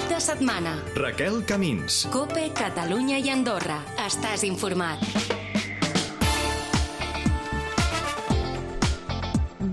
Cap de setmana. Raquel Camins. COPE, Catalunya i Andorra. Estàs informat.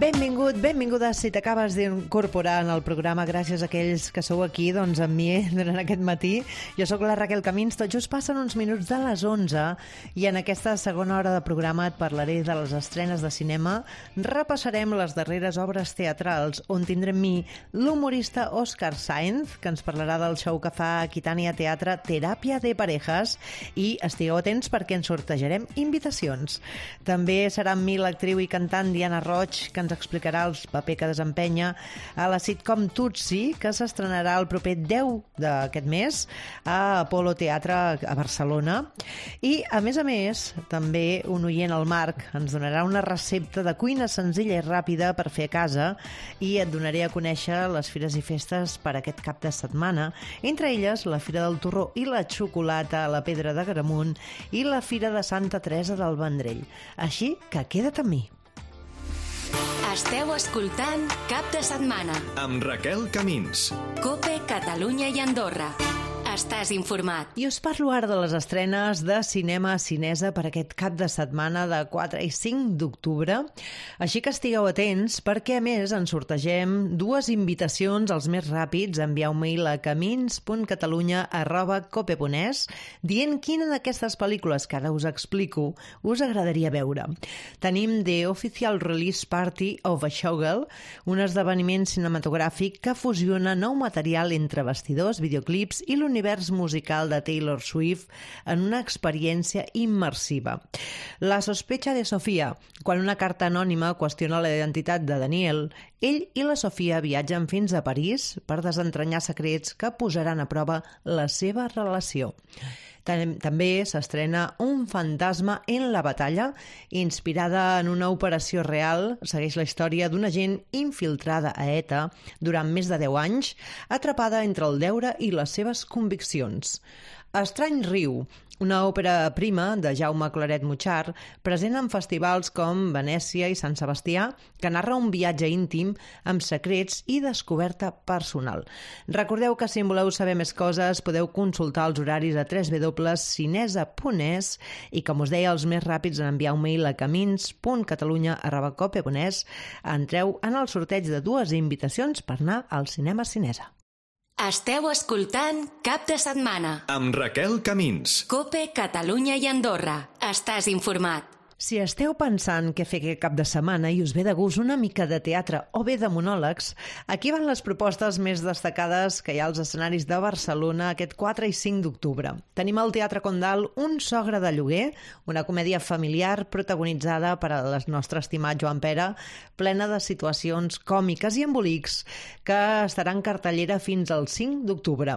Benvingut, benvinguda si t'acabes d'incorporar en el programa, gràcies a aquells que sou aquí amb mi durant aquest matí. Jo sóc la Raquel Camins, tot just passen uns minuts de les 11 i en aquesta segona hora de programa et parlaré de les estrenes de cinema, repassarem les darreres obres teatrals on tindrem mi l'humorista Òscar Sáenz, que ens parlarà del show que fa a Aquitània Teatre Teràpia de Parejas, i estigueu atents perquè ens sortejarem invitacions. També serà amb mi l'actriu i cantant Diana Roig, que ens explicarà el paper que desempenya a la sitcom Tutsi, que s'estrenarà el proper 10 d'aquest mes a Apolo Teatre a Barcelona. I, a més, també un oient, el Marc, ens donarà una recepta de cuina senzilla i ràpida per fer a casa i et donaré a conèixer les fires i festes per aquest cap de setmana, entre elles la Fira del Torró i la Xocolata a la Pedra d'Agramunt i la Fira de Santa Teresa del Vendrell. Així que queda't amb mi. Esteu escoltant Cap de setmana. Amb Raquel Camins. COPE, Catalunya i Andorra. Estàs informat. I us parlo ara de les estrenes de cinema cinesa per aquest cap de setmana de 4 i 5 d'octubre. Així que estigueu atents perquè, a més, ens sortegem 2 invitacions als més ràpids. Envieu un mail a camins.catalunya@cope.es dient quina d'aquestes pel·lícules que ara us explico us agradaria veure. Tenim The Official Release Party of a Showgirl, un esdeveniment cinematogràfic que fusiona nou material entre bastidors, videoclips i l'univers musical de Taylor Swift en una experiència immersiva. La sospecha de Sofia, quan una carta anònima qüestiona la identitat de Daniel, ell i la Sofia viatgen fins a París per desentranyar secrets que posaran a prova la seva relació. També s'estrena Un fantasma en la batalla, inspirada en una operació real. Segueix la història d'una agent infiltrada a ETA durant més de 10 anys, atrapada entre el deure i les seves conviccions. Estrany riu, una òpera prima de Jaume Claret-Muchart, present en festivals com Venècia i Sant Sebastià, que narra un viatge íntim amb secrets i descoberta personal. Recordeu que si en voleu saber més coses podeu consultar els horaris a www.cinesa.es i, com us deia, els més ràpids en enviar un mail a camins.catalunya@cope.es entreu en el sorteig de 2 invitacions per anar al cinema cinesa. Esteu escoltant Cap de setmana. Amb Raquel Camins. COPE, Catalunya i Andorra. Estàs informat. Si esteu pensant què fer aquest cap de setmana i us ve de gust una mica de teatre o bé de monòlegs, aquí van les propostes més destacades que hi ha als escenaris de Barcelona aquest 4 i 5 d'octubre. Tenim al Teatre Condal Un sogre de lloguer, una comèdia familiar protagonitzada per el nostre estimat Joan Pera, plena de situacions còmiques i embolics, que estarà en cartellera fins al 5 d'octubre.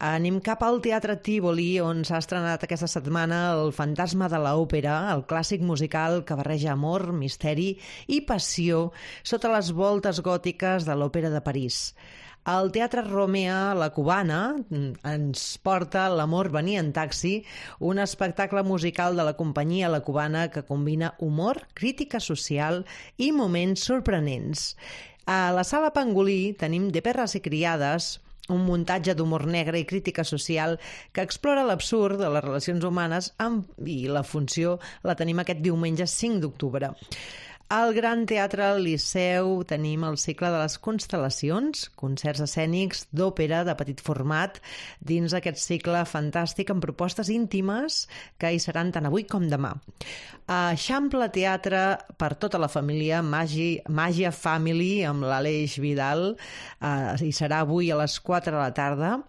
Anem cap al Teatre Tívoli, on s'ha estrenat aquesta setmana El fantasma de l'òpera, el clàssic musical que barreja amor, misteri i passió sota les voltes gòtiques de l'Òpera de París. El Teatre Romea La Cubana ens porta L'amor venia en taxi, un espectacle musical de la companyia La Cubana que combina humor, crítica social i moments sorprenents. A la Sala Pangolí tenim De perres i criades, un muntatge d'humor negre i crítica social que explora l'absurd de les relacions humanes i la funció la tenim aquest diumenge 5 d'octubre. Al Gran Teatre Liceu tenim el cicle de les constel·lacions, concerts escènics d'òpera de petit format dins aquest cicle fantàstic amb propostes íntimes que hi seran tant avui com demà. A Eixample Teatre per tota la família, Màgia Family amb l'Aleix Vidal, hi serà avui a les 4 de la tarda.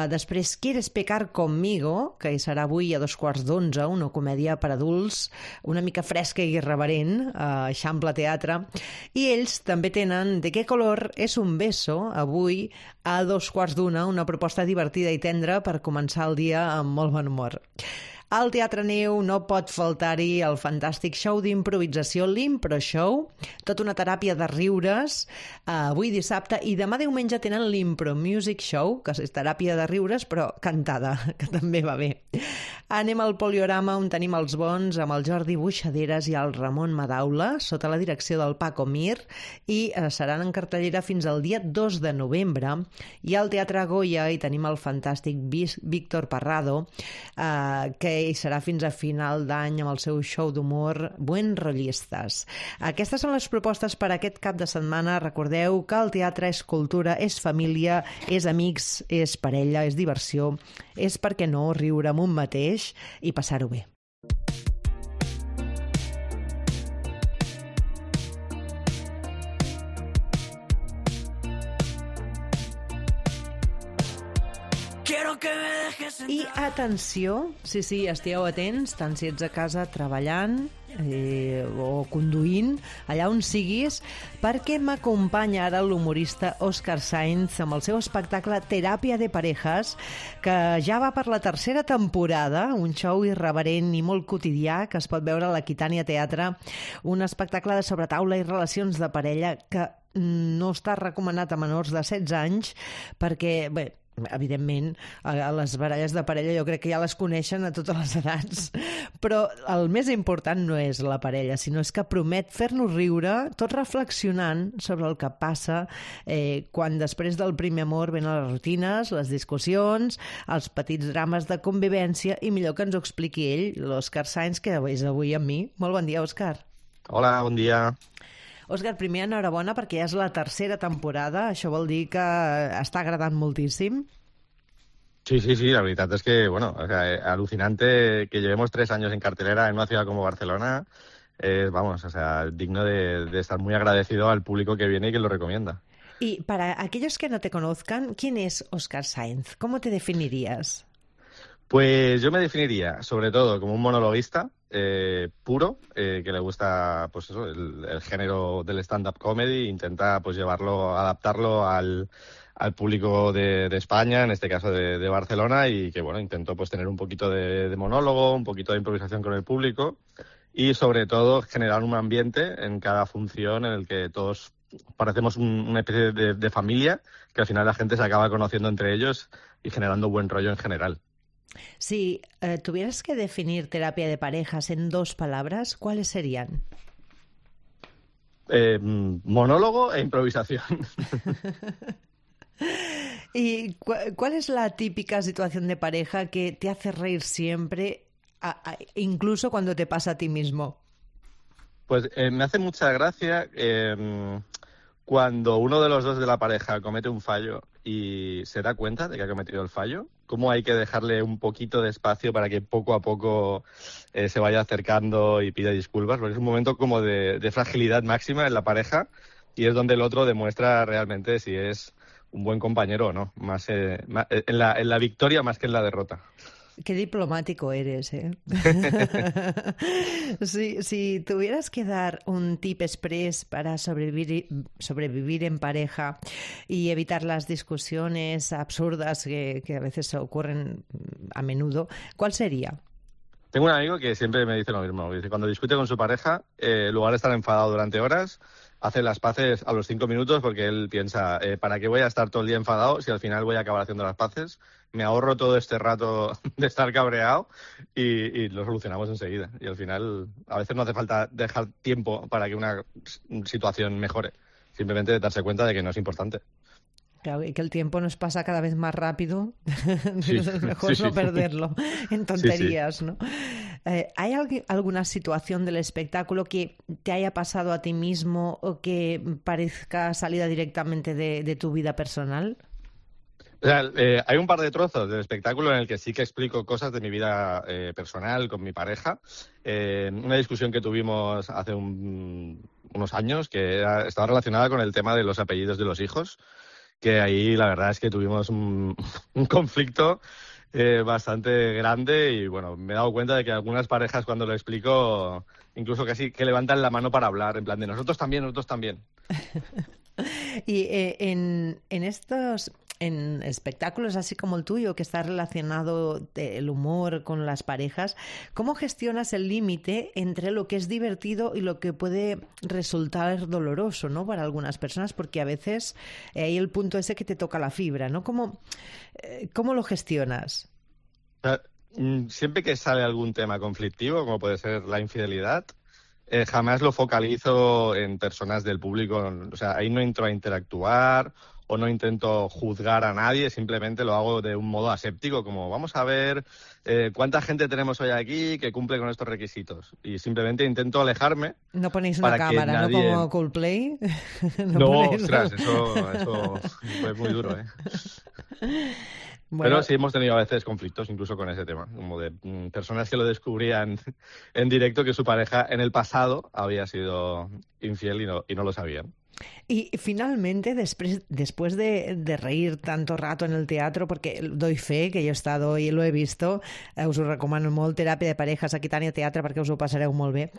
Després Quieres pecar conmigo, que hi serà avui a 11:15, una comèdia per adults una mica fresca i irreverent a Eixample Teatre, i ells també tenen De qué color es un beso, avui a 2:15, una proposta divertida i tendra per començar el dia amb molt bon humor. Al Teatre Neu no pot faltar-hi el fantàstic show d'improvisació l'Impro Show, tota una teràpia de riures, avui dissabte, i demà diumenge tenen l'Impro Music Show, que és teràpia de riures però cantada, que també va bé. Anem al Poliorama, on tenim els bons amb el Jordi Buixaderes i el Ramon Madaula, sota la direcció del Paco Mir, i seran en cartellera fins al dia 2 de novembre. I al Teatre Goya hi tenim el fantàstic Víctor Parrado, que hi serà fins a final d'any amb el seu show d'humor Buen Rollistas. Aquestes són les propostes per aquest cap de setmana. Recordeu que el teatre és cultura, és família, és amics, és parella, és diversió, és, per què no, riure amb un mateix i passar-ho bé. I atenció, sí, estigueu atents, tant si ets a casa treballant o conduint, allà on siguis, perquè m'acompanya ara l'humorista Òscar Sáenz amb el seu espectacle Teràpia de Parejas, que ja va per la tercera temporada, un show irreverent i molt quotidià que es pot veure a l'Aquitània Teatre, un espectacle de sobretaula i relacions de parella que no està recomanat a menors de 16 anys perquè, bé, evidentment, a les baralles de parella jo crec que ja les coneixen a totes les edats, però el més important no és la parella, sinó és que promet fer-nos riure, tot reflexionant sobre el que passa quan després del primer amor venen les rutines, les discussions, els petits drames de convivència, i millor que ens ho expliqui ell, l'Òscar Sáenz, que és avui amb mi. Molt bon dia, Òscar. Hola, bon dia. Òscar, primer, enhorabona, perquè ja és la tercera temporada. Això vol dir que està agradant moltíssim. Sí, la verdad es que, bueno, o sea, alucinante que llevemos 3 años en cartelera en una ciudad como Barcelona. Vamos, o sea, digno de estar muy agradecido al público que viene y que lo recomienda. Y para aquellos que no te conozcan, ¿quién es Òscar Sáenz? ¿Cómo te definirías? Pues yo me definiría, sobre todo, como un monologuista puro, que le gusta, pues eso, el género del stand-up comedy, intenta pues llevarlo, adaptarlo al público de España, en este caso de Barcelona, y que, bueno, intento pues tener un poquito de monólogo, un poquito de improvisación con el público y, sobre todo, generar un ambiente en cada función en el que todos parecemos una especie de familia, que al final la gente se acaba conociendo entre ellos y generando buen rollo en general. Si tuvieras que definir terapia de parejas en 2 palabras, ¿cuáles serían? Monólogo e improvisación. ¿Y cuál es la típica situación de pareja que te hace reír siempre, incluso cuando te pasa a ti mismo? Pues me hace mucha gracia cuando uno de los dos de la pareja comete un fallo y se da cuenta de que ha cometido el fallo, cómo hay que dejarle un poquito de espacio para que poco a poco se vaya acercando y pida disculpas, porque es un momento como de fragilidad máxima en la pareja y es donde el otro demuestra realmente si es un buen compañero o no, más en la victoria más que en la derrota. Qué diplomático eres, ¿eh? Si tuvieras que dar un tip express para sobrevivir en pareja y evitar las discusiones absurdas que a veces ocurren a menudo, ¿cuál sería? Tengo un amigo que siempre me dice lo mismo. Dice, cuando discute con su pareja, en lugar de estar enfadado durante horas, hace las paces a los 5 minutos porque él piensa, ¿para qué voy a estar todo el día enfadado si al final voy a acabar haciendo las paces? Me ahorro todo este rato de estar cabreado y lo solucionamos enseguida. Y al final, a veces no hace falta dejar tiempo para que una situación mejore. Simplemente darse cuenta de que no es importante. Claro, y que el tiempo nos pasa cada vez más rápido. Sí, Es mejor sí, no sí. perderlo en tonterías, Sí. ¿no? ¿Hay alguna situación del espectáculo que te haya pasado a ti mismo o que parezca salida directamente de tu vida personal? O sea, hay un par de trozos del espectáculo en el que sí que explico cosas de mi vida personal con mi pareja. Una discusión que tuvimos hace unos años que estaba relacionada con el tema de los apellidos de los hijos, que ahí la verdad es que tuvimos un conflicto bastante grande y bueno, me he dado cuenta de que algunas parejas cuando lo explico incluso casi que levantan la mano para hablar, en plan de nosotros también. Y en espectáculos así como el tuyo, que está relacionado el humor con las parejas, ¿cómo gestionas el límite entre lo que es divertido y lo que puede resultar doloroso, ¿no? Para algunas personas, porque a veces hay el punto ese que te toca la fibra, ¿no? ¿Cómo lo gestionas? siempre que sale algún tema conflictivo, como puede ser la infidelidad, jamás lo focalizo en personas del público. O sea, ahí no entro a interactuar o no intento juzgar a nadie, simplemente lo hago de un modo aséptico, como vamos a ver cuánta gente tenemos hoy aquí que cumple con estos requisitos. Y simplemente intento alejarme. No ponéis una cámara, nadie... ¿no? Como Coldplay. No, ostras, eso fue muy duro, ¿eh? Bueno. Pero sí hemos tenido a veces conflictos incluso con ese tema, como de personas que lo descubrían en directo que su pareja en el pasado había sido infiel y no lo sabían. Y finalmente, después de reír tanto rato en el teatro, porque doy fe que jo he estado i lo he visto, us ho recomano molt, Teràpia de Parejas, Aquitania Teatre, perquè us ho passareu molt bé.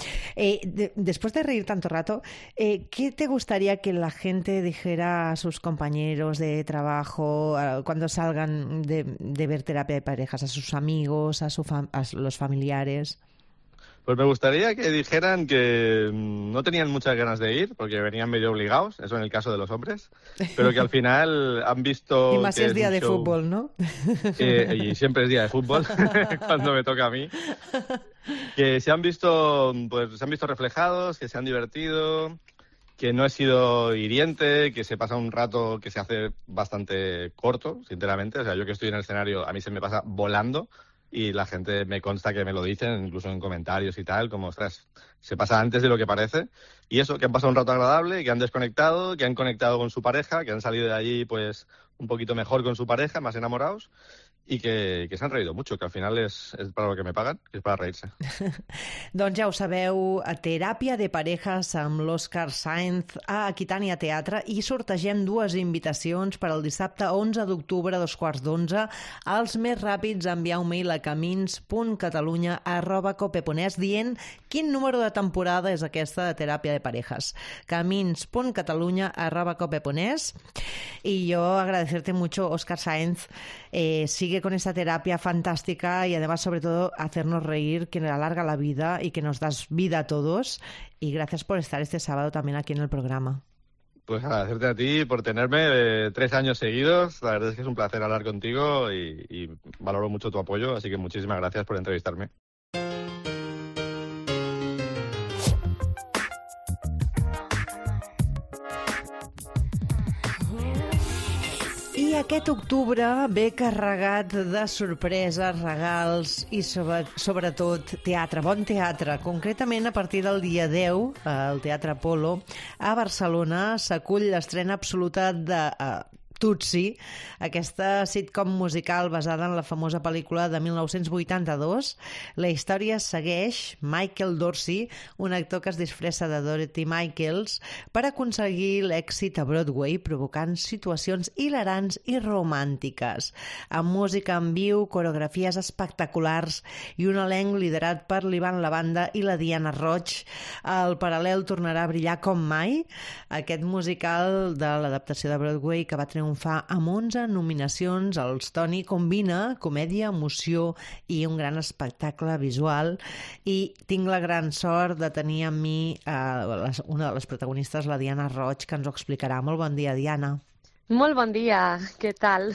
Después de reír tanto rato, ¿qué te gustaría que la gente dijera a sus compañeros de trabajo cuando salgan de ver Teràpia de Parejas, a sus amigos, a los familiares? Pues me gustaría que dijeran que no tenían muchas ganas de ir, porque venían medio obligados, eso en el caso de los hombres, pero que al final han visto... Y más si es día de fútbol, ¿no? Y siempre es día de fútbol, cuando me toca a mí. Que se han visto reflejados, que se han divertido, que no he sido hiriente, que se pasa un rato que se hace bastante corto, sinceramente. O sea, yo que estoy en el escenario, a mí se me pasa volando. Y la gente me consta que me lo dicen, incluso en comentarios y tal, como, ostras, se pasa antes de lo que parece. Y eso, que han pasado un rato agradable, que han desconectado, que han conectado con su pareja, que han salido de allí, pues, un poquito mejor con su pareja, más enamorados, i que s'han reído mucho, que al final és para lo que me pagan, que és para reírse. Doncs ja ho sabeu, a Teràpia de Parejas amb l'Òscar Sáenz a Aquitània Teatre i sortegem 2 invitacions per al dissabte 11 d'octubre a 2:15. Els més ràpids enviar un mail a camins.catalunya@cope.es dient quin número de temporada és aquesta de Teràpia de Parejas. camins.catalunya@cope.es. Y yo agradecerte mucho, Òscar Sáenz. Sigue con esa terapia fantástica y además, sobre todo, hacernos reír, que nos alarga la vida y que nos das vida a todos. Y gracias por estar este sábado también aquí en el programa. Pues agradecerte a ti por tenerme 3 años seguidos. La verdad es que es un placer hablar contigo y valoro mucho tu apoyo, así que muchísimas gracias por entrevistarme. I aquest octubre ve carregat de sorpreses, regals i sobretot teatre, bon teatre. Concretament, a partir del dia 10, al Teatre Apolo, a Barcelona, s'acull l'estrena absoluta de Tutsi, aquesta sitcom musical basada en la famosa pel·lícula de 1982. La història segueix Michael Dorsey, un actor que es disfressa de Dorothy Michaels, per aconseguir l'èxit a Broadway, provocant situacions hilarants i romàntiques. Amb música en viu, coreografies espectaculars i un elenc liderat per l'Ivan Lavanda i la Diana Roig, el paral·lel tornarà a brillar com mai. Aquest musical de l'adaptació de Broadway, que va triomfar amb 11 nominacions als Tony, combina comèdia, emoció i un gran espectacle visual, i tinc la gran sort de tenir amb mi una de les protagonistes, la Diana Roig, que ens ho explicarà. Molt bon dia, Diana. Molt bon dia, què tal?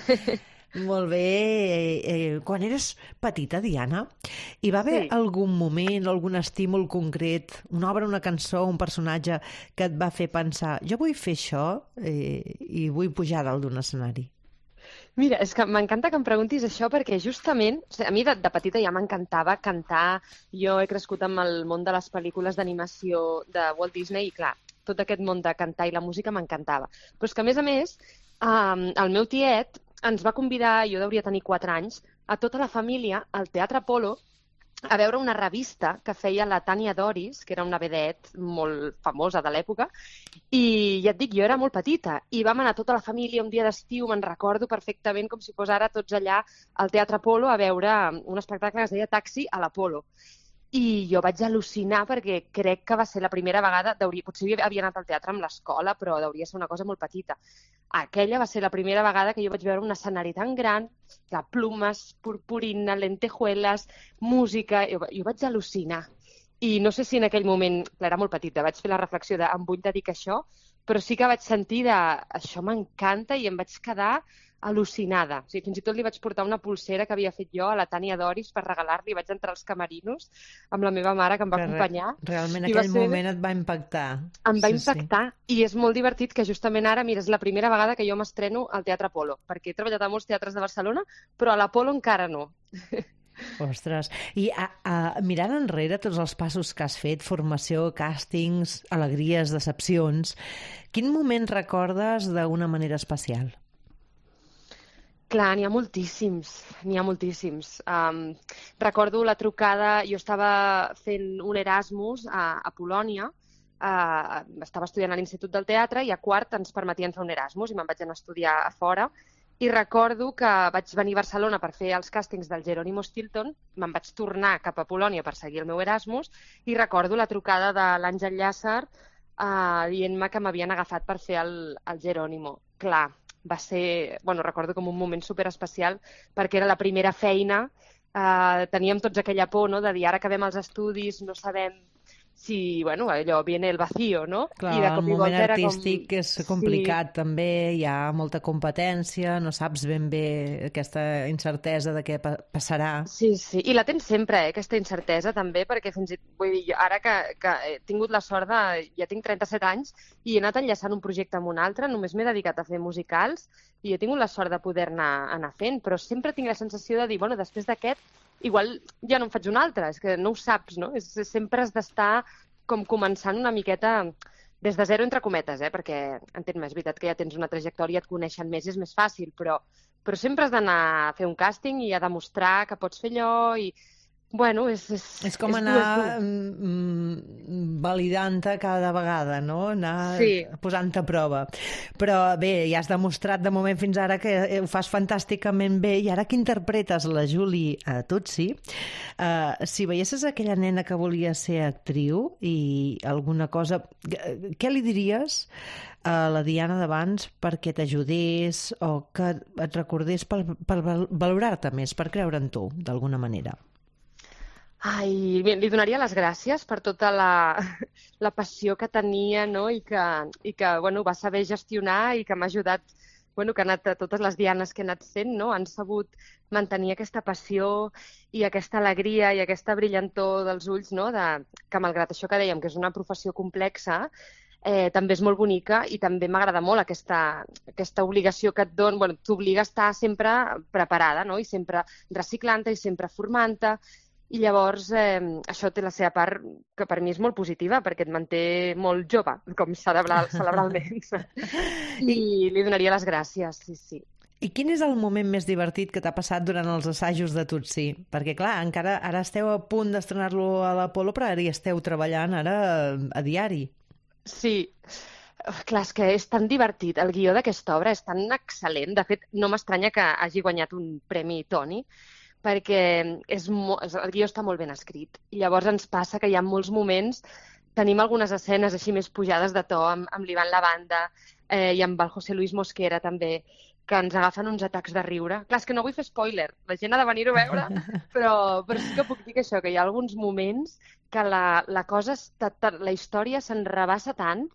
Molt bé. Quan eres petita, Diana, hi va haver algun moment, algun estímul concret, una obra, una cançó, un personatge que et va fer pensar, jo vull fer això i vull pujar dalt d'un escenari? Mira, és que m'encanta que em preguntis això perquè justament, a mi de petita ja m'encantava cantar. Jo he crescut amb el món de les pel·lícules d'animació de Walt Disney i, clar, tot aquest món de cantar i la música m'encantava. Però és que, a més, el meu tiet ens va convidar, jo hauria tenir 4 anys, a tota la família al Teatre Apolo a veure una revista que feia la Tània Doris, que era una vedette molt famosa de l'època, i ja et dic, jo era molt petita, i vam anar tota la família un dia d'estiu, me'n recordo perfectament com si fos ara tots allà al Teatre Apolo a veure un espectacle que es deia Taxi a l'Apolo. I jo vaig al·lucinar perquè crec que va ser la primera vegada, potser havia anat al teatre amb l'escola, però hauria ser una cosa molt petita. Aquella va ser la primera vegada que jo vaig veure un escenari tan gran, de plumes, purpurina, lentejuelas, música. Jo vaig al·lucinar. I no sé si en aquell moment, clar, era molt petita, vaig fer la reflexió de em vull dedicar a això, però sí que vaig sentir això m'encanta i em vaig quedar al·lucinada. O sigui, fins i tot li vaig portar una pulsera que havia fet jo a la Tània Doris per regalar-li. Vaig entrar als camerinos amb la meva mare, que em va acompanyar. Realment aquell moment et va impactar. Em va impactar, i és molt divertit que justament ara, mira, és la primera vegada que jo m'estreno al Teatre Apolo, perquè he treballat a molts teatres de Barcelona, però a l'Apolo encara no. Ostres, i mirant enrere tots els passos que has fet, formació, càstings, alegries, decepcions, quin moment recordes d'una manera especial? Clar, n'hi ha moltíssims, n'hi ha moltíssims. Recordo la trucada, jo estava fent un Erasmus a Polònia, estava estudiant a l'Institut del Teatre i a quart ens permetien fer un Erasmus i me'n vaig anar a estudiar a fora. I recordo que vaig venir a Barcelona per fer els càstings del Jerónimo Stilton, me'n vaig tornar cap a Polònia per seguir el meu Erasmus i recordo la trucada de l'Àngel Llàcer dient-me que m'havien agafat per fer el Jerónimo. Clar, va ser, recordo com un moment superespecial perquè era la primera feina, teníem tots aquella por, no?, de dir ara acabem els estudis, no sabem si, allò viene el vacío, no? Clar, el moment artístic és complicat també, hi ha molta competència, no saps ben bé aquesta incertesa de què passarà. Sí, i la tens sempre, aquesta incertesa també, perquè vull dir, ara que he tingut la sort ja tinc 37 anys i he anat enllaçant un projecte amb un altre, només m'he dedicat a fer musicals i he tingut la sort de poder-ne anar fent, però sempre tinc la sensació de dir, després d'aquest igual ja no en faig un altre, és que no ho saps, no? Sempre has d'estar com començant una miqueta des de zero entre cometes, perquè entenc-me, és veritat que ja tens una trajectòria, et coneixen més i és més fàcil, però sempre has d'anar a fer un càsting i a demostrar que pots fer allò i... És com anar validant-te cada vegada, no? Anar posant-te a prova. Però bé, ja has demostrat de moment fins ara que ho fas fantàsticament bé i ara que interpretes la Julie a Tutsi, si veiessis aquella nena que volia ser actriu i alguna cosa, què li diries a la Diana d'abans perquè t'ajudés o que et recordés per valorar-te més, per creure en tu, d'alguna manera? Li donaria les gràcies per tota la passió que tenia, no? I que va saber gestionar i que m'ha ajudat, que ha anat a totes les dianes que he anat fent, no? Han sabut mantenir aquesta passió i aquesta alegria i aquesta brillantor dels ulls, no? Que malgrat això que dèiem, que és una professió complexa, també és molt bonica i també m'agrada molt aquesta obligació que et dona, t'obliga a estar sempre preparada, no? I sempre reciclant-te i sempre formant-te. I llavors això té la seva part que per mi és molt positiva perquè et manté molt jove, com cerebralment. I li donaria les gràcies, sí. I quin és el moment més divertit que t'ha passat durant els assajos de Tutsi? Perquè, clar, encara ara esteu a punt d'estrenar-lo a l'Apolo, però ara hi esteu treballant ara a diari. Sí. Clar, és que és tan divertit. El guió d'aquesta obra és tan excel·lent. De fet, no m'estranya que hagi guanyat un premi Tony, perquè el guió està molt ben escrit. I llavors ens passa que hi ha molts moments, tenim algunes escenes així més pujades de to amb l'Ivan Lavanda i amb el José Luis Mosquera també, que ens agafen uns atacs de riure. Clar, és que no vull fer spoiler, la gent ha de venir-ho a veure, però sí que puc dir que això, que hi ha alguns moments que la història s'enrabassa tant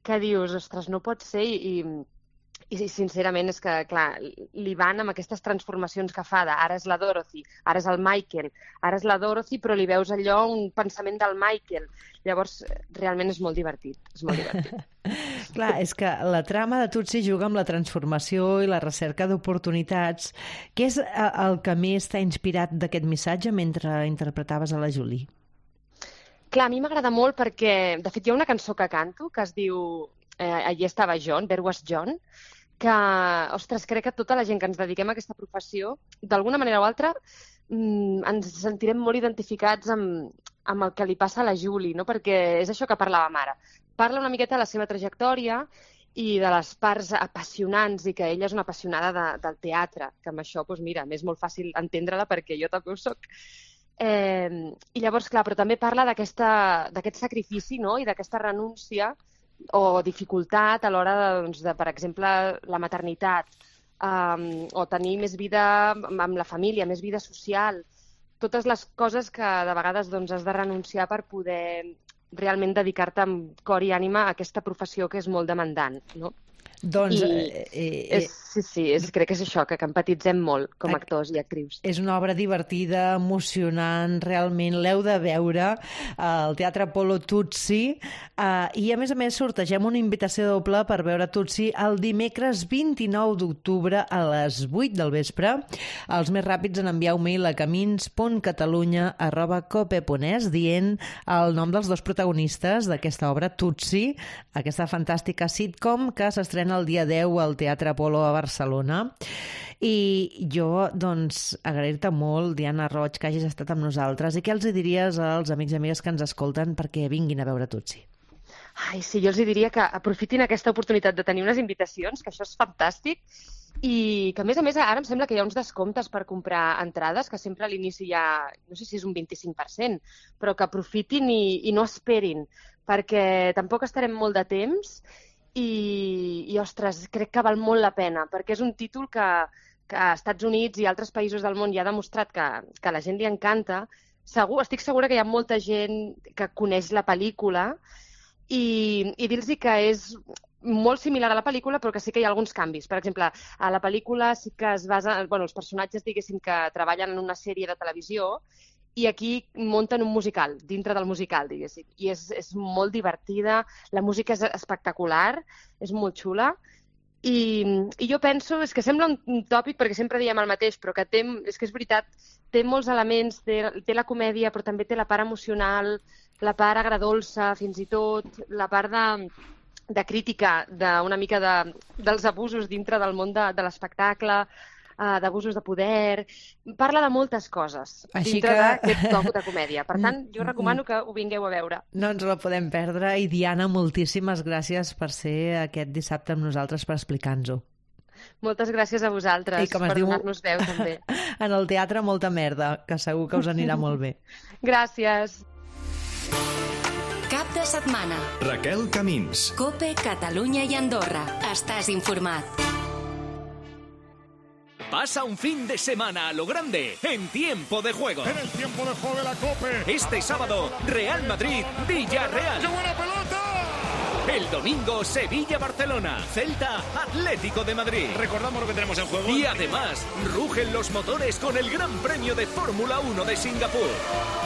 que dius, ostres, no pot ser, i sincerament és que, clar, l'Ivan amb aquestes transformacions que fa ara és la Dorothy, ara és el Michael, ara és la Dorothy, però li veus allò, un pensament del Michael. Llavors, realment és molt divertit, Clar, és que la trama de Tutsi juga amb la transformació i la recerca d'oportunitats. Què és el que més t'ha inspirat d'aquest missatge mentre interpretaves a la Julie? Clar, a mi m'agrada molt perquè, de fet, hi ha una cançó que canto que es diu Allí estava John, There was John, que, ostres, crec que tota la gent que ens dediquem a aquesta professió, d'alguna manera o altra, ens sentirem molt identificats amb el que li passa a la Julie, no? Perquè és això que parlàvem ara. Parla una miqueta de la seva trajectòria i de les parts apassionants i que ella és una apassionada del teatre, que amb això, doncs mira, m'és molt fàcil entendre-la perquè jo també ho soc. I llavors, clar, però també parla d'aquest sacrifici, no? I d'aquesta renúncia o dificultat a l'hora de, per exemple, la maternitat, o tenir més vida amb la família, més vida social, totes les coses que de vegades has de renunciar per poder realment dedicar-te amb cor i ànima a aquesta professió que és molt demandant, no? Doncs... Crec que és això, que empatitzem molt com a actors i actrius. És una obra divertida, emocionant, realment l'heu de veure al Teatre Apolo Tutsi, i a més sortegem una invitació doble per veure Tutsi el dimecres 29 d'octubre a les 8 del vespre. Els més ràpids en enviar un mail a camins.catalunya@cope.es dient el nom dels dos protagonistes d'aquesta obra, Tutsi, aquesta fantàstica sitcom que s'estrena el dia 10 al Teatre Apolo a Barcelona. I jo, doncs, agrair-te molt, Diana Roig, que hagis estat amb nosaltres. I què els diries als amics i amigues que ens escolten perquè vinguin a veure Tutsi? Ai, sí, jo els diria que aprofitin aquesta oportunitat de tenir unes invitacions, que això és fantàstic, i que, a més, ara em sembla que hi ha uns descomptes per comprar entrades, que sempre a l'inici hi ha, no sé si és un 25%, però que aprofitin i no esperin, perquè tampoc estarem molt de temps i, ostres, crec que val molt la pena, perquè és un títol que a Estats Units i altres països del món ja ha demostrat que a la gent li encanta. Estic segura que hi ha molta gent que coneix la pel·lícula i dir-los que és molt similar a la pel·lícula, però que sí que hi ha alguns canvis. Per exemple, a la pel·lícula sí que es basa... els personatges, diguéssim, que treballen en una sèrie de televisió i aquí munten un musical, dintre del musical, diguéssim. I és molt divertida, la música és espectacular, és molt xula. I jo penso, és que sembla un tòpic perquè sempre diem el mateix, però que és que és veritat, té molts elements, té la comèdia, però també té la part emocional, la part agredolça, fins i tot, la part de crítica d'una mica dels abusos dintre del món de l'espectacle, d'abusos de poder, parla de moltes coses dintre d'aquest toc de comèdia. Per tant, jo recomano que ho vingueu a veure. No ens la podem perdre. I Diana, moltíssimes gràcies per ser aquest dissabte amb nosaltres per explicar-nos-ho. Moltes gràcies a vosaltres per donar-nos veu, també. En el teatre, molta merda, que segur que us anirà molt bé. Gràcies. Cap de setmana. Raquel Camins. COPE, Catalunya i Andorra. Estàs informat. Pasa un fin de semana a lo grande en Tiempo de Juego. En el tiempo de juego de la COPE. Este sábado, Real Madrid, Villarreal. ¡Qué buena pelota! El domingo, Sevilla-Barcelona, Celta, Atlético de Madrid. Recordamos lo que tenemos en juego. Y además, rugen los motores con el Gran Premio de Fórmula 1 de Singapur.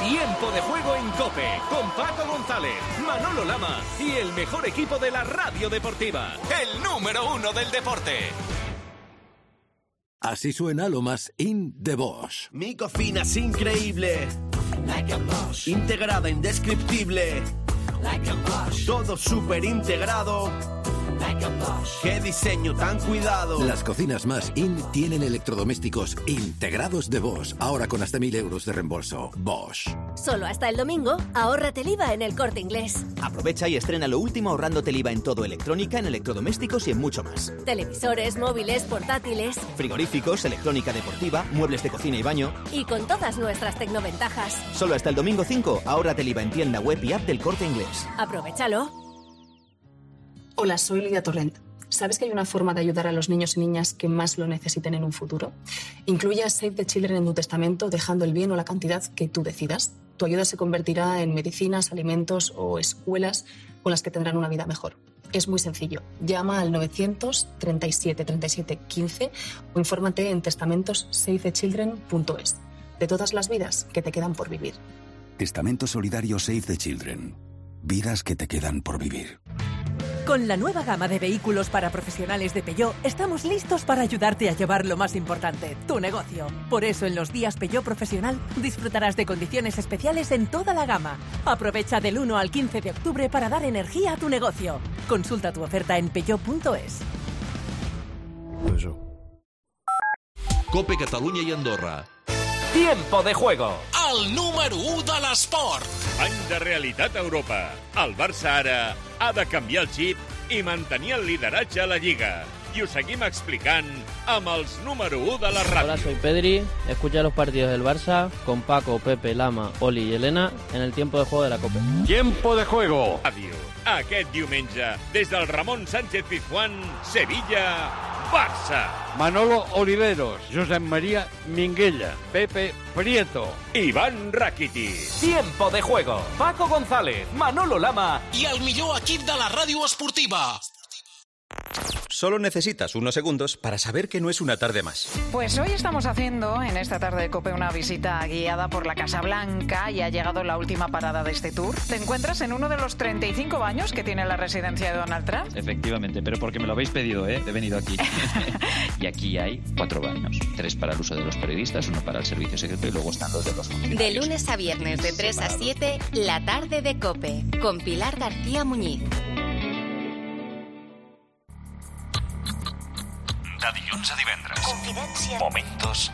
Tiempo de Juego en COPE, con Paco González, Manolo Lama y el mejor equipo de la radio deportiva. El número 1 del deporte. Así suena lo más in de Bosch. Mi cocina es increíble. Like a Bosch. Integrada, indescriptible. Like a Bosch. Todo súper integrado. Like a Bosch. Qué diseño tan cuidado. Las cocinas más in tienen electrodomésticos integrados de Bosch. Ahora con hasta 1.000 euros de reembolso. Bosch. Solo hasta el domingo, ahórrate el IVA en El Corte Inglés. Aprovecha y estrena lo último ahorrándote el IVA en todo: electrónica, en electrodomésticos y en mucho más. Televisores, móviles, portátiles, frigoríficos, electrónica deportiva, muebles de cocina y baño. Y con todas nuestras tecnoventajas. Solo hasta el domingo 5, ahórrate el IVA en tienda web y app del Corte Inglés. Aprovechalo. Hola, soy Lidia Torrent. ¿Sabes que hay una forma de ayudar a los niños y niñas que más lo necesiten en un futuro? Incluye a Save the Children en tu testamento, dejando el bien o la cantidad que tú decidas. Tu ayuda se convertirá en medicinas, alimentos o escuelas con las que tendrán una vida mejor. Es muy sencillo. Llama al 937 37 15 o infórmate en testamentosavethechildren.es. De todas las vidas que te quedan por vivir. Testamento solidario Save the Children. Vidas que te quedan por vivir. Con la nueva gama de vehículos para profesionales de Peugeot, estamos listos para ayudarte a llevar lo más importante, tu negocio. Por eso, en los días Peugeot Profesional, disfrutarás de condiciones especiales en toda la gama. Aprovecha del 1 al 15 de octubre para dar energía a tu negocio. Consulta tu oferta en peugeot.es. COPE Catalunya i Andorra. Tiempo de Juego. El número 1 de l'esport. Any de realitat a Europa. El Barça ara ha de canviar el xip i mantenir el lideratge a la Lliga. Y os seguimos explicando amb els número 1 de la radio. Hola, soy Pedri. Escucha los partidos del Barça con Paco, Pepe, Lama, Oli y Elena en el tiempo de juego de la COPE. Tiempo de juego. Ràdio. Aquest diumenge, des del Ramon Sánchez Pizjuán, Sevilla, Barça. Barça. Manolo Oliveros, Josep María Minguella, Pepe Prieto, Iván Rakitic. Tiempo de juego. Paco González, Manolo Lama i el millor equip de la ràdio esportiva. Solo necesitas unos segundos para saber que no es una tarde más. Pues hoy estamos haciendo en esta tarde de COPE una visita guiada por la Casa Blanca y ha llegado la última parada de este tour. Te encuentras en uno de los 35 baños que tiene la residencia de Donald Trump. Efectivamente, pero porque me lo habéis pedido, he venido aquí. Y aquí hay 4 baños, 3 para el uso de los periodistas, 1 para el servicio secreto y luego están los de los funcionarios. De lunes a viernes de 3 a 7, la tarde de COPE, con Pilar García Muñiz. De dilluns a divendres. Confidència. Momentos.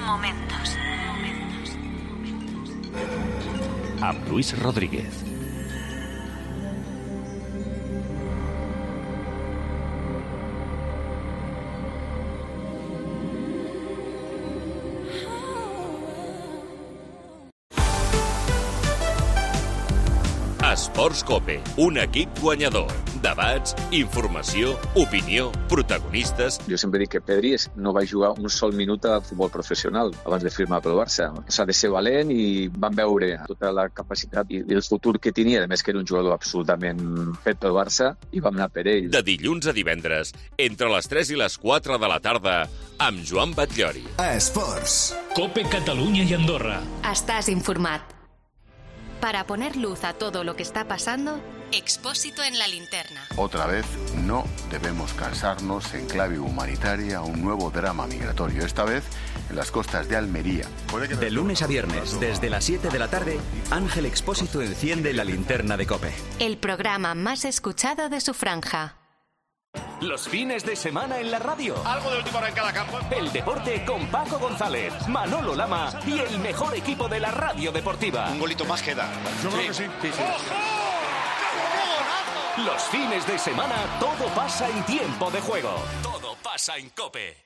Momentos. Amb Luis Rodríguez. Esports COPE, un equip guanyador. Debats, informació, opinió, protagonistes... Jo sempre dic que Pedri no va jugar un sol minut a futbol professional abans de firmar pel Barça. S'ha de ser valent i van veure tota la capacitat i el futur que tenia. A més que era un jugador absolutament fet pel Barça i vam anar per ell. De dilluns a divendres, entre les 3 i les 4 de la tarda, amb Joan Batllori. Esports. COPE Catalunya i Andorra. Estás informat. Para poner luz a todo lo que está pasando, Expósito en la linterna. Otra vez, no debemos cansarnos en clave humanitaria un nuevo drama migratorio, esta vez en las costas de Almería. De lunes a viernes, desde las 7 de la tarde, Ángel Expósito enciende la linterna de COPE. El programa más escuchado de su franja. Los fines de semana en la radio. Algo de última hora en cada campo. El deporte con Paco González, Manolo Lama y el mejor equipo de la radio deportiva. Un golito más queda. Yo creo que sí. Los fines de semana todo pasa en tiempo de juego. Todo pasa en COPE.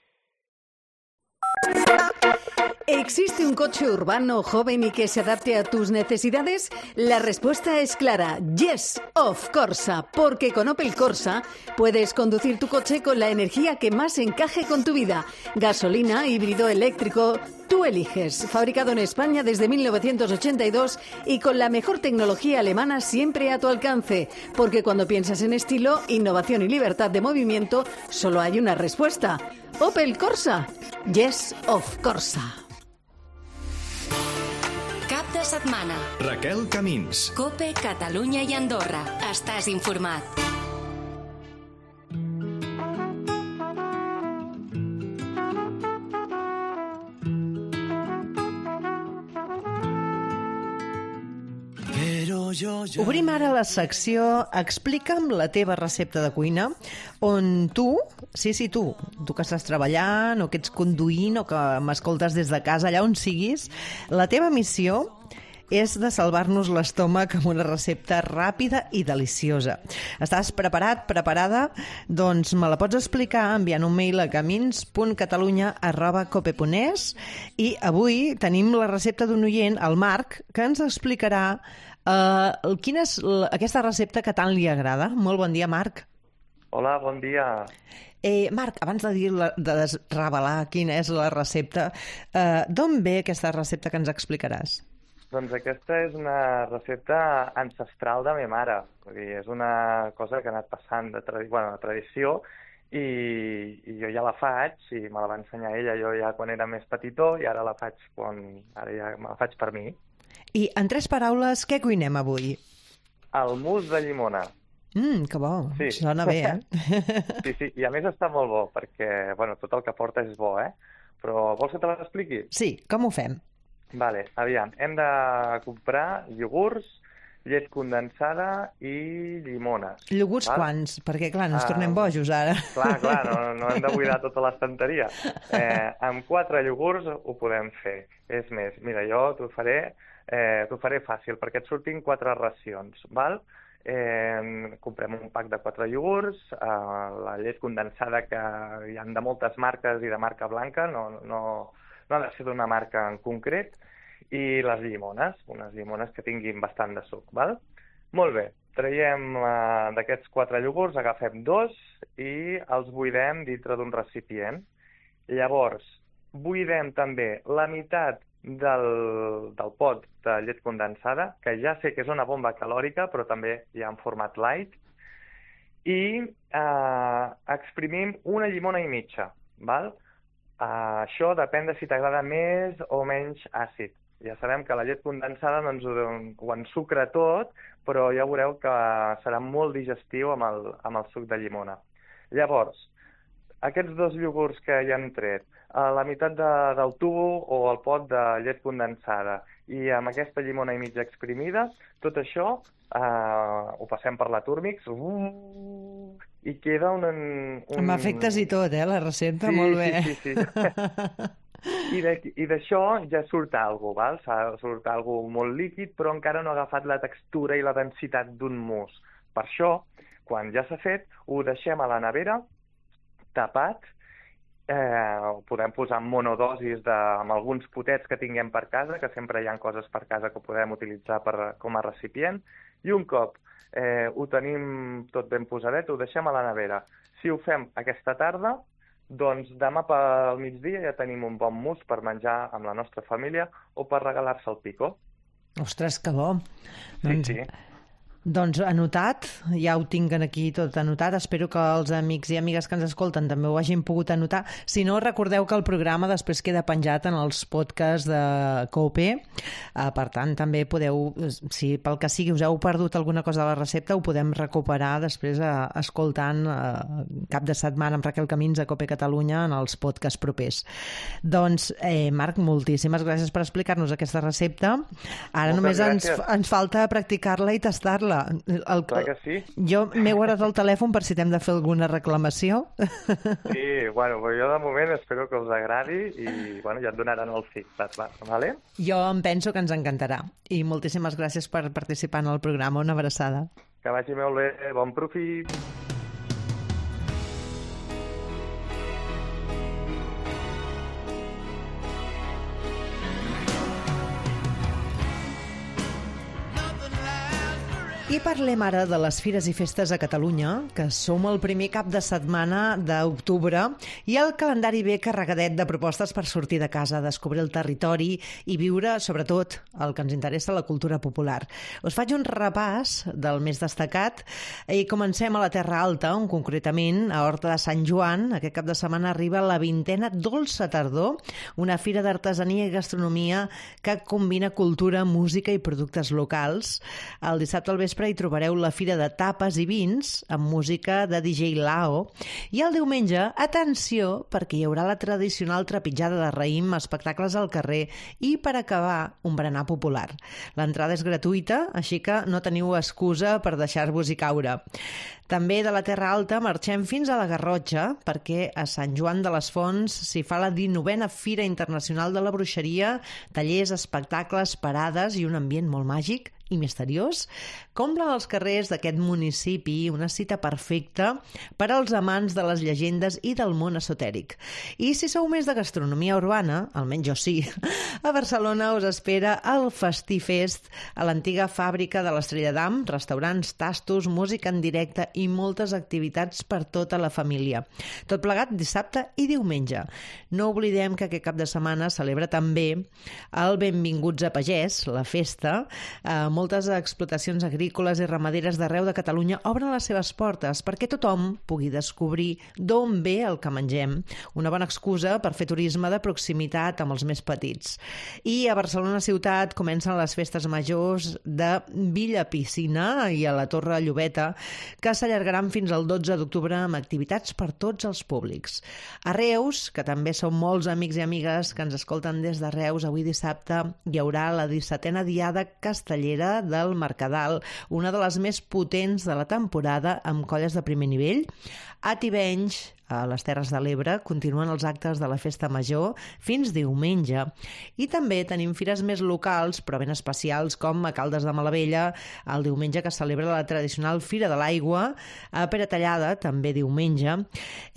¿Existe un coche urbano joven y que se adapte a tus necesidades? La respuesta es clara. Yes, of Corsa. Porque con Opel Corsa puedes conducir tu coche con la energía que más encaje con tu vida. Gasolina, híbrido, eléctrico, tú eliges. Fabricado en España desde 1982 y con la mejor tecnología alemana siempre a tu alcance. Porque cuando piensas en estilo, innovación y libertad de movimiento, solo hay una respuesta. Opel Corsa. Yes, of Corsa. Cap de setmana. Raquel Camins. COPE, Catalunya i Andorra. Estàs informat. Obrim ara la secció Explica'm la teva recepta de cuina, on tu, tu que estàs treballant o que ets conduint o que m'escoltes des de casa, allà on siguis, la teva missió és de salvar-nos l'estómac amb una recepta ràpida i deliciosa. Estàs preparat, preparada? Doncs me la pots explicar enviant un mail a camins.catalunya@cope.es i avui tenim la recepta d'un oient, el Marc, que ens explicarà quina és aquesta recepta que tant li agrada. Molt bon dia, Marc. Hola, bon dia. Marc, abans de revelar quina és la recepta, d'on ve aquesta recepta que ens explicaràs? Doncs aquesta és una recepta ancestral de ma mare. Vull dir, és una cosa que ha anat passant de tradició i jo ja la faig i me la va ensenyar ella jo ja quan era més petitó i ara ja me la faig per mi. I en 3 paraules, què cuinem avui? El mousse de llimona. Que bo, sí. Sona bé, Sí, i a més està molt bo, perquè tot el que porta és bo, Però vols que te l'expliqui? Sí, com ho fem? Vale, aviam, hem de comprar iogurts, llet condensada i llimones. Iogurts quants? Perquè, clar, no ens tornem bojos ara. Clar, no hem de buidar tota l'estanteria. Amb 4 iogurts ho podem fer. És més, mira, jo t'ho faré fàcil, perquè et surtin 4 racions, val? comprem un pack de 4 iogurts, la llet condensada, que hi ha de moltes marques i de marca blanca, no ha de ser d'una marca en concret, i les llimones, unes llimones que tinguin bastant de suc, val? Molt bé, traiem d'aquests 4 iogurts, agafem 2 i els buidem dintre d'un recipient. Llavors, buidem també la meitat del pot de llet condensada, que ja sé que és una bomba calòrica, però també hi ha en format light, i exprimim una llimona i mitja, val? Això depèn de si t'agrada més o menys àcid. Ja sabem que la llet condensada doncs, ho ensucra tot, però ja veureu que serà molt digestiu amb el suc de llimona. Llavors, aquests 2 iogurts que ja hem tret, la meitat del tubo o el pot de llet condensada i amb aquesta llimona i mitja exprimida, tot això ho passem per la Turmix i queda un... Amb efectes i tot, la recepta, molt bé. Sí. I d'això ja surt alguna cosa, val? Surt alguna cosa molt líquid, però encara no ha agafat la textura i la densitat d'un mousse. Per això, quan ja s'ha fet, ho deixem a la nevera, tapat, ho podem posar en monodosis amb alguns potets que tinguem per casa, que sempre hi ha coses per casa que podem utilitzar com a recipient, i un cop ho tenim tot ben posadet, ho deixem a la nevera. Si ho fem aquesta tarda, doncs demà pel migdia ja tenim un bon mousse per menjar amb la nostra família o per regalar-se al pico. Ostres, que bo! Sí. Doncs anotat, ja ho tinc aquí tot anotat, espero que els amics i amigues que ens escolten també ho hagin pogut anotar. Si no, recordeu que el programa després queda penjat en els podcasts de COPE, per tant també podeu, si pel que sigui us heu perdut alguna cosa de la recepta, ho podem recuperar després escoltant cap de setmana amb Raquel Camins a COPE Catalunya en els podcasts propers. Doncs, Marc, moltíssimes gràcies per explicar-nos aquesta recepta. Ara només ens falta practicar-la i tastar-la. Clar que sí. Jo m'he guardat el telèfon per si t'hem de fer alguna reclamació. Sí, bueno, jo de moment espero que us agradi i ja et donaran el feedback, vale? Jo em penso que ens encantarà. I moltíssimes gràcies per participar en el programa. Una abraçada. Que vagi molt bé. Bon profit. I parlem ara de les Fires i Festes a Catalunya, que som el primer cap de setmana d'octubre i el calendari ve carregadet de propostes per sortir de casa, descobrir el territori i viure, sobretot, el que ens interessa, la cultura popular. Us faig un repàs del més destacat i comencem a la Terra Alta, on concretament a Horta de Sant Joan, aquest cap de setmana arriba la 20a Dolça Tardor, una fira d'artesania i gastronomia que combina cultura, música i productes locals. El dissabte al vespre hi trobareu la Fira de Tapes i Vins amb música de DJ Lao i el diumenge, atenció, perquè hi haurà la tradicional trepitjada de raïm, espectacles al carrer i, per acabar, un berenar popular. L'entrada és gratuïta, així que no teniu excusa per deixar-vos-hi caure. També de la Terra Alta marxem fins a la Garrotxa perquè a Sant Joan de les Fonts s'hi fa la 19a Fira Internacional de la Bruixeria, tallers, espectacles, parades i un ambient molt màgic i misteriós, complen els carrers d'aquest municipi, una cita perfecta per als amants de les llegendes i del món esotèric. I si sou més de gastronomia urbana, almenys jo sí, a Barcelona us espera el Festifest a l'antiga fàbrica de l'Estrella d'Am, restaurants, tastos, música en directe i moltes activitats per tota la família. Tot plegat dissabte i diumenge. No oblidem que aquest cap de setmana celebra també el Benvinguts a Pagès, la festa. Moltes explotacions agrícoles i ramaderes d'arreu de Catalunya obren les seves portes perquè tothom pugui descobrir d'on ve el que mengem. Una bona excusa per fer turisme de proximitat amb els més petits. I a Barcelona ciutat comencen les festes majors de Villa Piscina i a la Torre Llobeta, que s'allargaran fins al 12 d'octubre amb activitats per tots els públics. A Reus, que també són molts amics i amigues que ens escolten des de Reus, avui dissabte hi haurà la 17a Diada Castellera del Mercadal, una de les més potents de la temporada amb colles de primer nivell. A Tivenys, a les Terres de l'Ebre, continuen els actes de la Festa Major fins diumenge. I també tenim fires més locals, però ben especials, com a Caldes de Malavella, el diumenge que celebra la tradicional Fira de l'Aigua, a Peratallada, també diumenge.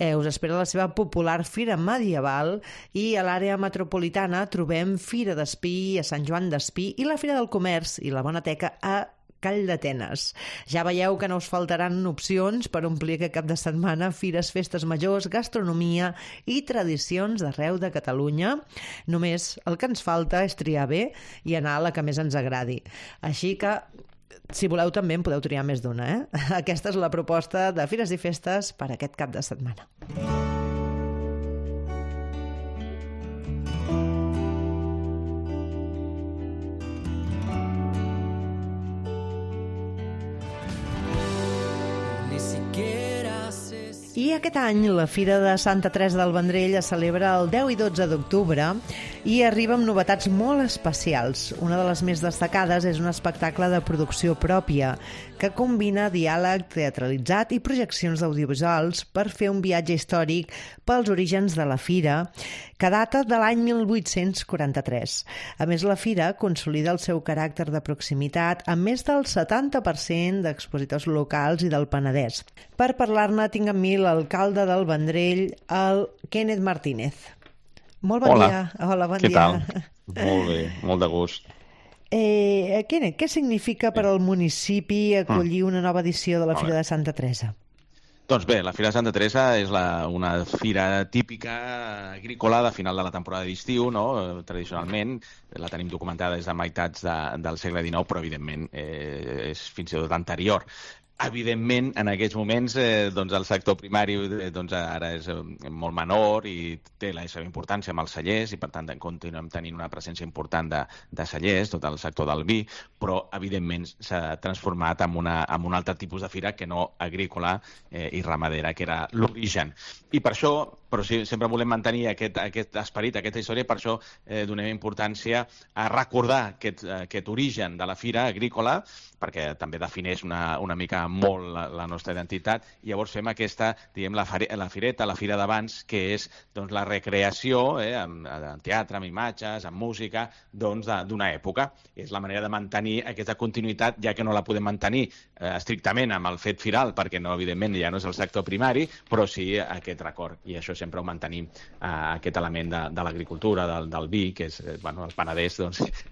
Us espera la seva popular Fira Medieval i a l'àrea metropolitana trobem Fira d'Espí a Sant Joan d'Espí i la Fira del Comerç i la Bona Teca a Call d'Atenes. Ja veieu que no us faltaran opcions per omplir aquest cap de setmana fires, festes majors, gastronomia i tradicions d'arreu de Catalunya. Només el que ens falta és triar bé i anar a la que més ens agradi. Així que, si voleu, també en podeu triar més d'una, Aquesta és la proposta de Fires i Festes per aquest cap de setmana. I aquest any la Fira de Santa Teresa del Vendrell es celebra el 10 i 12 d'octubre i arriba amb novetats molt especials. Una de les més destacades és un espectacle de producció pròpia que combina diàleg teatralitzat i projeccions audiovisuals per fer un viatge històric pels orígens de la Fira, que data de l'any 1843. A més, la Fira consolida el seu caràcter de proximitat amb més del 70% d'expositors locals i del Penedès. Per parlar-ne tinc amb mi l'alcalde del Vendrell, el Kenneth Martínez. Molt bon dia. Hola, bon dia. Què tal? Molt bé, molt de gust. Kenneth, què significa per al municipi acollir una nova edició de la Fira de Santa Teresa? Doncs bé, la Fira de Santa Teresa és una fira típica agrícola de final de la temporada d'estiu, no? Tradicionalment, la tenim documentada des de meitats del segle XIX, però evidentment és fins i tot anterior. Evidentment, en aquests moments, el sector primari ara és molt menor i té la seva importància amb els cellers i, per tant, continuem tenint una presència important de cellers, tot el sector del vi, però, evidentment, s'ha transformat en un altre tipus de fira que no agrícola i ramadera, que era l'origen. I per això, però sí, sempre volem mantenir aquest esperit, aquesta història, per això donem importància a recordar aquest origen de la fira agrícola, perquè també defineix una mica molt la nostra identitat, i llavors fem aquesta, diguem, la fireta, la fira d'abans, que és la recreació en teatre, amb imatges, amb música, d'una època. És la manera de mantenir aquesta continuïtat, ja que no la podem mantenir estrictament amb el fet firal, perquè no, evidentment, ja no és el sector primari, però sí aquest record, i això sempre ho mantenim, aquest element de l'agricultura, del vi, que és, el Penedès,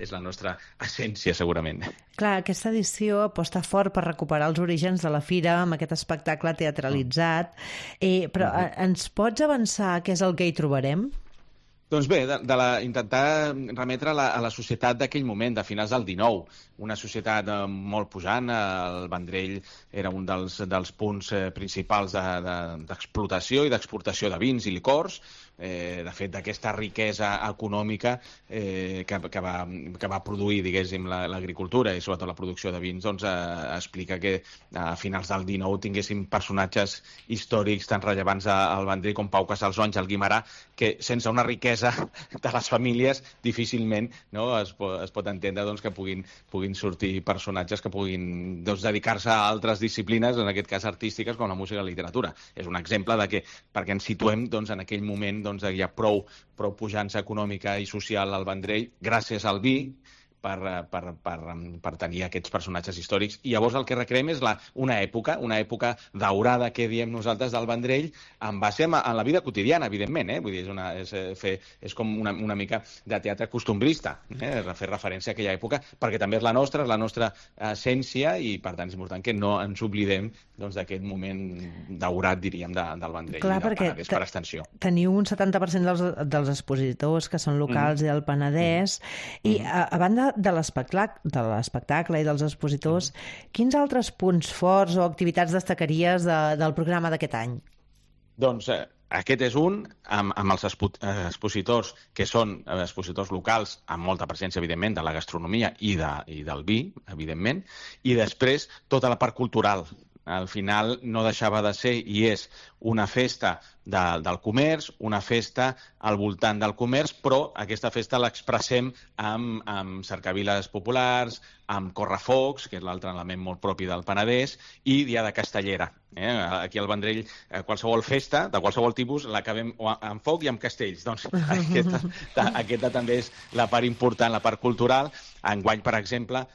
és la nostra essència, segurament. Clar, aquesta edició aposta fort per recuperar els orígens de la fira amb aquest espectacle teatralitzat, però ens pots avançar què és el que hi trobarem? Doncs bé, intentar remetre a la societat d'aquell moment, de finals del XIX, una societat molt pujant. El Vendrell era un dels punts principals d'explotació i d'exportació de vins i licors. De fet, d'aquesta riquesa econòmica que va produir, diguéssim, l'agricultura i sobretot la producció de vins, explica que a finals del XIX tinguéssim personatges històrics tan rellevants al Vendrell com Pau Casals o Àngel Guimerà, que sense una riquesa de les famílies difícilment es pot entendre que puguin sortir personatges que puguin dedicar-se a altres disciplines, en aquest cas artístiques, com la música i la literatura. És un exemple de que, perquè ens situem en aquell moment, hi ha prou pujança econòmica i social al Vendrell gràcies al vi per tenir aquests personatges històrics. I llavors el que recreem és una època daurada, que diem nosaltres, del Vendrell, en base en la vida quotidiana, evidentment. Vull dir, és com una mica de teatre costumbrista, fer referència a aquella època, perquè també és la nostra essència, i per tant és important que no ens oblidem d'aquest moment daurat, diríem, del Vendrell. Clar, i del Penedès per extensió. Teniu un 70% dels expositors que són locals i del Penedès, i a banda de l'espectacle i dels expositors, quins altres punts forts o activitats destacaries del programa d'aquest any? Doncs aquest és un, amb els expositors, que són expositors locals, amb molta presència, evidentment, de la gastronomia i del vi, evidentment, i després tota la part cultural. Al final no deixava de ser i és una festa del comerç, una festa al voltant del comerç, però aquesta festa l'expressem amb cercaviles populars, amb correfocs, que és l'altre element molt propi del Penedès, i Diada Castellera. Aquí al Vendrell, qualsevol festa, de qualsevol tipus, l'acabem amb foc i amb castells. Doncs aquesta també és la part important, la part cultural. Enguany, per exemple,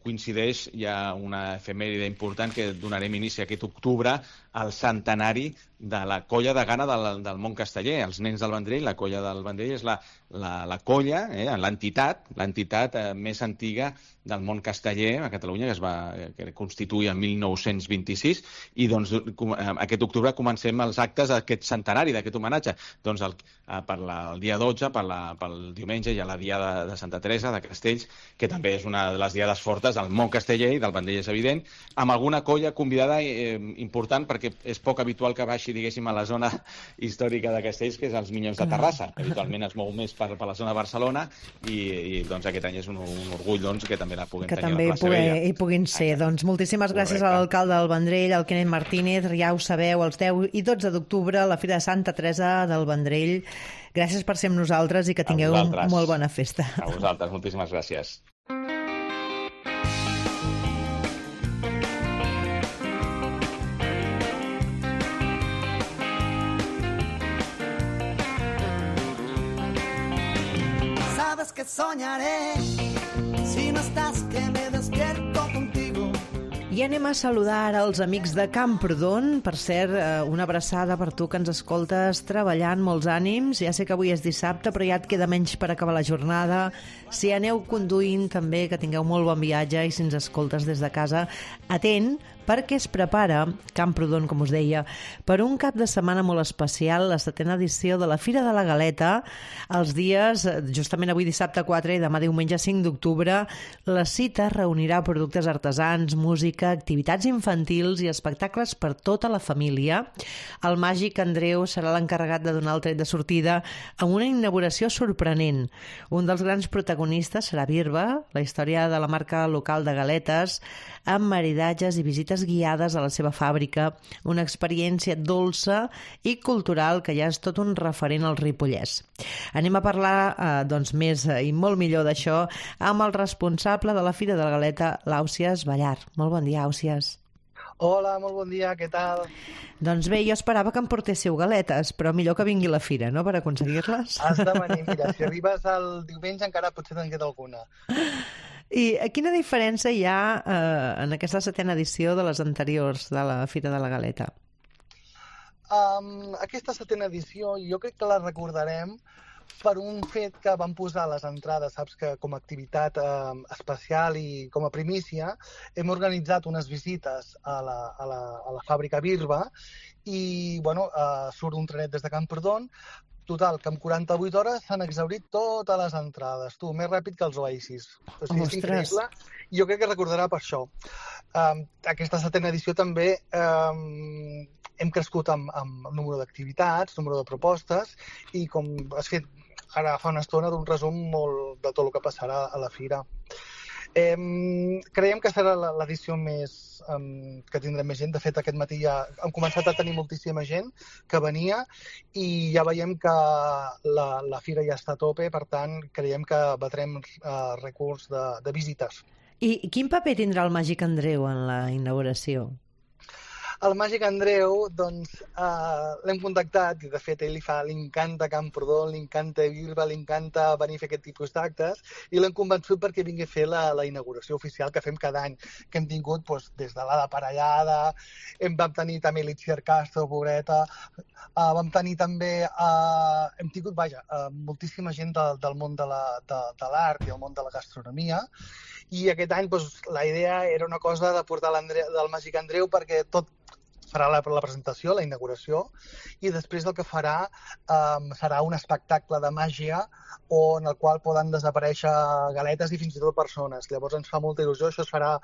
coincideix, hi ha una efemèride important que donarem inici aquest octubre al centenari de la colla de gana del món casteller. Els nens del Vendrell, la colla del Vendrell és la colla, l'entitat més antiga del món casteller a Catalunya, que es constituï en 1926, i doncs aquest octubre comencem els actes d'aquest centenari, d'aquest homenatge. Doncs el dia 12, pel diumenge, hi ha la Diada de Santa Teresa, de Castells, que també és una de les diades fortes del món casteller i del Vendrell, és evident, amb alguna colla convidada important, perquè és poc habitual que baixi, diguéssim, a la zona històrica de Castells, que és els Minyons de Terrassa. Habitualment es mou més per la zona de Barcelona i doncs aquest any és un orgull que també la puguem tenir a la plaça Vella. Que també hi puguin ser. Doncs moltíssimes gràcies a l'alcalde del Vendrell, al Kenneth Martínez. Ja ho sabeu, els 10 i 12 d'octubre, la Fira de Santa Teresa del Vendrell. Gràcies per ser amb nosaltres i que tingueu molt bona festa. A vosaltres, moltíssimes gràcies. Sabes que soñaré si no estás, que me despierto contigo. I anem a saludar ara els amics de Camprodon. Per cert, una abraçada per tu que ens escoltes treballant, molts ànims. Ja sé que avui és dissabte, però ja et queda menys per acabar la jornada. Si aneu conduint, també, que tingueu molt bon viatge, i si ens escoltes des de casa, atent, perquè es prepara Camprodon, com us deia, per un cap de setmana molt especial, la 7ª edició de la Fira de la Galeta, els dies, justament avui dissabte 4 i demà diumenge 5 d'octubre. La cita reunirà productes artesans, música, activitats infantils i espectacles per tota la família. El màgic Andreu serà l'encarregat de donar el tret de sortida amb una inauguració sorprenent. Un dels grans protagonistes serà Birba, la història de la marca local de galetes, amb maridatges i visites guiades a la seva fàbrica, una experiència dolça i cultural que ja és tot un referent al Ripollès. Anem a parlar més i molt millor d'això amb el responsable de la Fira de la Galeta, l'Àusies Ballar. Molt bon dia, Àusies. Hola, molt bon dia, què tal? Doncs bé, jo esperava que em portéssiu galetes, però millor que vingui la fira, no?, per aconseguir-les. Has de venir, mira, si arribes el diumenge encara potser te'n queda alguna. I quina diferència hi ha en aquesta 7ª edició de les anteriors de la Fira de la Galeta? Aquesta 7ª edició jo crec que la recordarem per un fet que van posar a les entrades, saps que com a activitat especial i com a primícia hem organitzat unes visites a la fàbrica Birba i surt un trenet des de Camprodon. Total, que en 48 hores s'han exhaurit totes les entrades. Tu, més ràpid que els Oasis. O sigui, és increïble. Jo crec que recordarà per això. Aquesta 7ª edició també hem crescut amb número d'activitats, número de propostes, i com has fet ara fa una estona d'un resum molt de tot el que passarà a la fira. Creiem que serà l'edició que tindrem més gent. De fet, aquest matí ja hem començat a tenir moltíssima gent que venia i ja veiem que la fira ja està a tope, per tant, creiem que batrem rècords de visites. I quin paper tindrà el Màgic Andreu en la inauguració? El Màgic Andreu, doncs, l'hem contactat i, de fet, ell li encanta Camprodon, li encanta Birba, li encanta venir a fer aquest tipus d'actes i l'hem convençut perquè vingui a fer la inauguració oficial que fem cada any, que hem tingut des de l'Ada Parellada, vam tenir també l'Itziar Castro, pobreta, vam tenir també, hem tingut, moltíssima gent del món de l'art i el món de la gastronomia, i aquest any la idea era una cosa de portar del Màgic Andreu perquè tot farà la presentació, la inauguració, i després el que farà serà un espectacle de màgia en el qual poden desaparèixer galetes i fins i tot persones. Llavors ens fa molta il·lusió, això es farà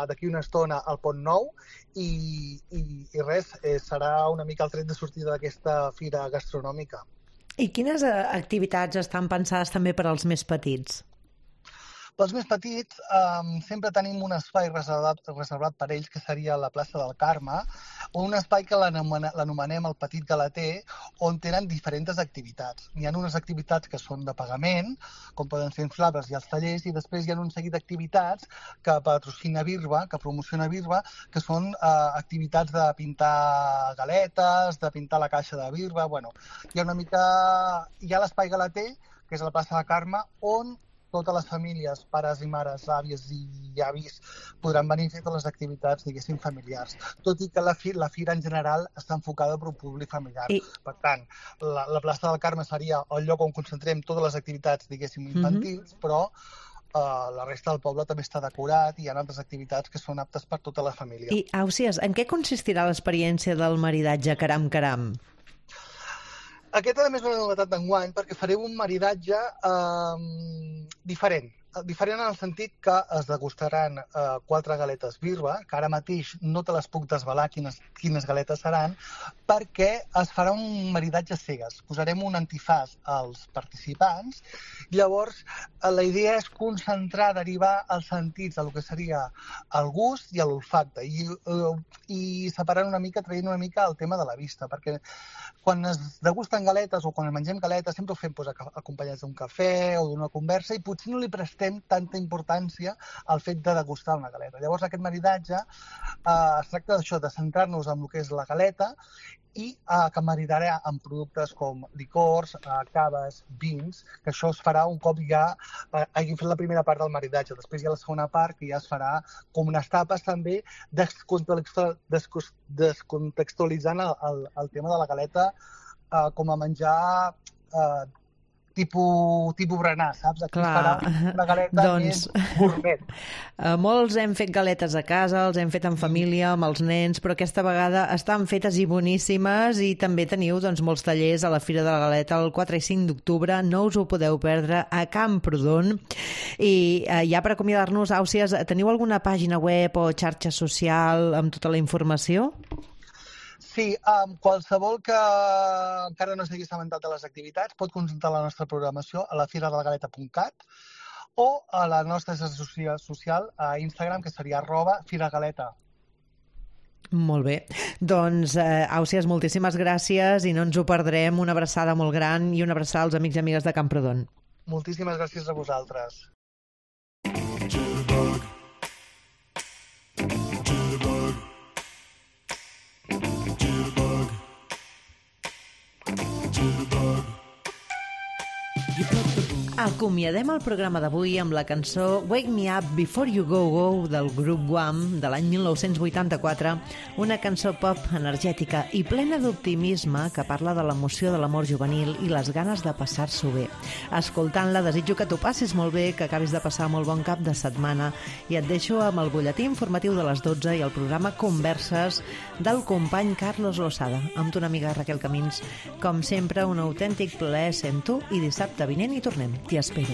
d'aquí una estona al Pont Nou i res, serà una mica el tret de sortida d'aquesta fira gastronòmica. I quines activitats estan pensades també per als més petits? Pels més petits, sempre tenim un espai reservat per ells, que seria la plaça del Carme, o un espai que l'anomenem el Petit Galeter, on tenen diferents activitats. Hi ha unes activitats que són de pagament, com poden ser inflables i els tallers, i després hi ha un seguit d'activitats que patrocina Birba, que promociona Birba, que són activitats de pintar galetes, de pintar la caixa de Birba. Bueno, hi ha l'espai Galeter, que és a la plaça del Carme, on totes les famílies, pares i mares, àvies i avis, podran venir a fer totes les activitats, diguéssim, familiars. Tot i que la fira en general està enfocada per un públic familiar. Per tant, la plaça del Carme seria el lloc on concentrem totes les activitats, diguéssim, infantils, però la resta del poble també està decorat i hi ha altres activitats que són aptes per tota la família. I, Àusies, en què consistirà l'experiència del maridatge Caram Caram? Aquesta també és una novetat d'enguany, perquè farem un maridatge diferent. Diferent en el sentit que es degustaran 4 galetes Birba, que ara mateix no te les puc desvelar quines galetes seran, perquè es farà un maridatge cegues. Posarem un antifàs als participants. Llavors, la idea és concentrar, derivar els sentits del que seria el gust i l'olfacte, i separant una mica, traient una mica el tema de la vista, perquè quan es degusten galetes o quan mengem galetes sempre ho fem acompanyats d'un cafè o d'una conversa i potser no li prestem tanta importància al fet de degustar una galeta. Llavors aquest maridatge es tracta d'això, de centrar-nos en el que és la galeta i que maridarà amb productes com licors, caves, vins, que això es farà un cop ja hagin fet la primera part del maridatge. Després hi ha la segona part, que ja es farà com unes tapes també, descontextualitzant el tema de la galeta com a menjar tipus berenar, saps? Aquí es farà una galeta més gourmet. Molts hem fet galetes a casa, els hem fet en família, amb els nens, però aquesta vegada estan fetes i boníssimes i també teniu molts tallers a la Fira de la Galeta el 4 i 5 d'octubre. No us ho podeu perdre a Camprodon. I ja per acomiadar-nos, Àusies, teniu alguna pàgina web o xarxa social amb tota la informació? Sí, qualsevol que encara no s'hagi assabentat de les activitats pot consultar la nostra programació a la firadelagaleta.cat o a la nostra xarxa social a Instagram, que seria @firagaleta. Molt bé. Doncs, Àusies, moltíssimes gràcies i no ens ho perdrem. Una abraçada molt gran i una abraçada als amics i amigues de Camprodon. Moltíssimes gràcies a vosaltres. Acomiadem el programa d'avui amb la cançó Wake Me Up Before You Go Go del grup Wham de l'any 1984, una cançó pop energètica i plena d'optimisme que parla de l'emoció de l'amor juvenil i les ganes de passar-s'ho bé. Escoltant-la, desitjo que t'ho passis molt bé, que acabis de passar molt bon cap de setmana i et deixo amb el butlletí informatiu de les 12 i el programa Converses del company Carlos Losada, amb ton amiga Raquel Camins. Com sempre, un autèntic plaer sent tu i dissabte vinent hi tornem. T'hi espero.